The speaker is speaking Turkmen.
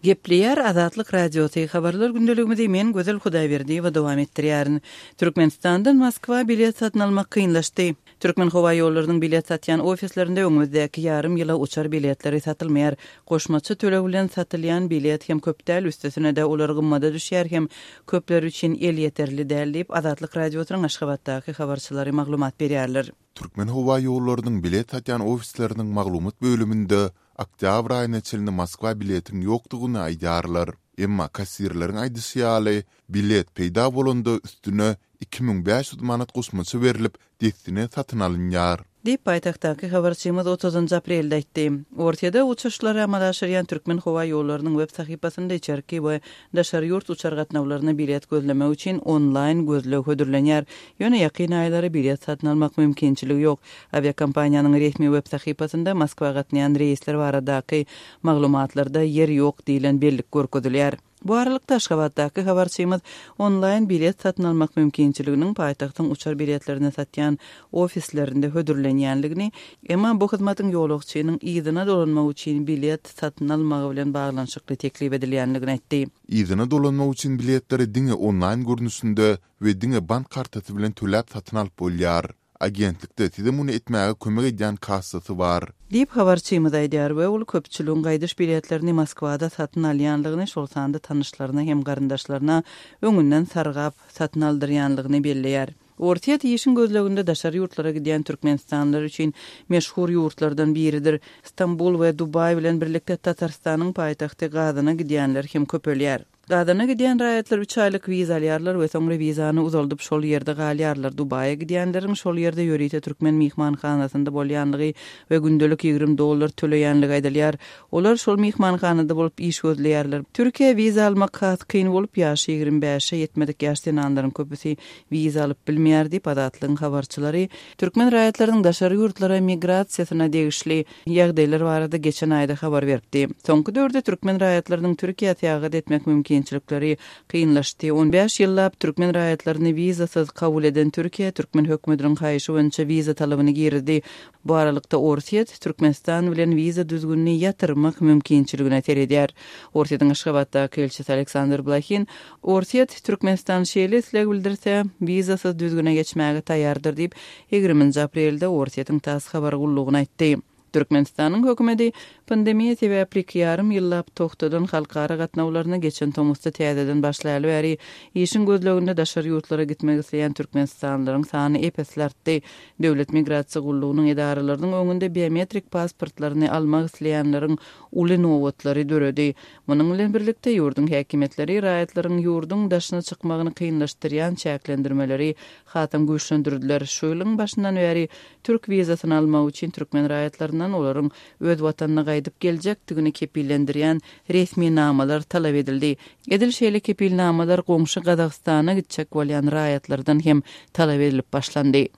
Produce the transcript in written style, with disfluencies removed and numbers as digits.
Gepleýär Azatlyk Radiosy, Habarlar gündeligimizi men Gözel Hudaýberdiýewa dowam etdirýärin. Türkmenistandan Moskwa bilet satyn almak kynlaşdy. Türkmenhowaýollarynyň bilet satýan ofislerinde öňümizdäki ýarym ýyla uçar biletleri satylmaýar. Goşmaça töleg bilen satylýan bilet hem köp däl, üstesine-de olar gymmada düşýär hem köpler üçin elýeterli däl diýip, Azatlyk Radiosynyň Aşgabatdaky habarçylary maglumat berýärler. Türkmenhowaýollarynyň bilet satýan ofisleriniň maglumat bölüminde oktýabr aýyna çenli Moskwa biletiň ýokdugyny aýdýarlar. Emma kassirleriň aýdyşy ýaly, bilet peýda bolanda üstüne 2500 manat goşmaça berlip, dessine satyn alynýar. Diýip, paýtagtdaky habarçymyz otuzynjy aprelde aýtdy. Orsýede uçuşlary amala aşyrýan Türkmenhowaýollarynyň web sahypasynda içerki we daşary ýurt uçar gatnawlaryna bilet gözlemek üçin onlaýn gözleg hödürlenýär. Ýöne ýakyn aýlara bilet satyn almak mümkinçiligi ýok. Awiakompaniýanyň resmi web sahypasynda Moskwa gatnaýan reýsler baradaky maglumatlarda ýer ýok diýlen bellik görkezilýär. Bu aralykda, Aşgabatdaky habarçymyz onlaýn bilet satyn almak mümkinçiliginiň paýtagtyň uçar biletlerini satýan ofislerinde hödürlenýänligini, emma bu hyzmatyň ýolagçynyň yzyna dolanmak üçin bilet satyn almagy bilen baglanyşykly teklip edilýänligini aýtdy. Yzyna dolanmak üçin biletleri diňe onlaýn görnüşinde we diňe bank kartasy bilen töläp satyn alyp bolýar. Agentlikde size muny etmäge kömek edýän kassasy bar. Diýip, habarçymyz aýdýar we ol köpçüligiň gaýdyş biletlerini Moskwada satyn alýanlygyny, şol sanda tanyşlaryna hem garyndaşlaryna öňünden sargap, satyn aldyrýanlygyny belleýär. Orsýet işiň gözleginde daşary ýurtlara gidýän türkmenistanlylar üçin meşhur ýurtlardan biridir. Stambul we Dubaý bilen birlikde Tatarstanyň paýtagty Gazana gidýänler hem köpelýär. Gazana gidýän raýatlar üç aýlyk wiza alýarlar we soňra wizany uzaldyp şol ýerde galýarlar. Dubaýa gidýänleriň şol ýerde ýörite türkmen myhmanhanasynda bolýanlygy we gündelik 20 dollar töleýänligi aýdylýar. Olar şol myhmanhanada bolup iş gözleýärler. Türkiýä wiza almak has kyn bolup, ýaşy 25-e ýetmedik ýaş zenanlaryň köpüsi wiza alyp bilmeýär diýip, Azatlygyň habarçylary türkmen raýatlarynyň daşary ýurtlara migrasiýasyna degişli ýagdaýlar barada geçen aýda habar beripdi. Soňky döwürde türkmen raýatlarynyň Türkiýä syýahat etmek mümkinçilikleri kynlaşdy. On bäş ýyllap türkmen raýatlaryny wizasyz kabul eden Türkiýe türkmen hökümetiniň haýyşy boýunça wiza talabyny girizdi. Bu aralykda Orsýet Türkmenistan bilen wiza düzgünini ýatyrmak mümkinçiligine seredýär. Orsýetiň Aşgabatdaky ilçisi Aleksandr Blahin, Orsýet, Türkmenistan şeýle isleg bildirse, wizasyz düzgüne geçmäge taýýardyr diýip, Ýigriminji aprelde Orsýetiň tass habar gullugyna aýtdy. Türkmenistanyň hökümeti pandemiýa sebäpli iki ýarym ýyllap togtadan halkara gatnawlaryny geçen tomusda täzeden başlaýaly bäri işiň gözleginde daşary ýurtlara gitmek isleýän türkmenistanlylaryň sany ep-esli artdy. Döwlet migrasiýa gullugynyň edaralarynyň öňünde biometrik pasportlaryny almak isleýänleriň uly nobatlary döredi. Munuň bilen birlikde, ýurduň häkimiýetleri raýatlaryň ýurduň daşyna çykmagyny kynlaşdyrýan çäklendirmeleri hasam güýçlendirdiler. Şu ýylyň başyndan bäri türk wizasyny almak üçin türkmen raýatlaryndan olaryň öz watanyna gaýdyp geljekdigini kepillendirýän resminamalar talap edildi. Edil şeýle kepilnamalar goňşy Gazagystana gitjek bolýan raýatlardan hem talap edilip başlandy.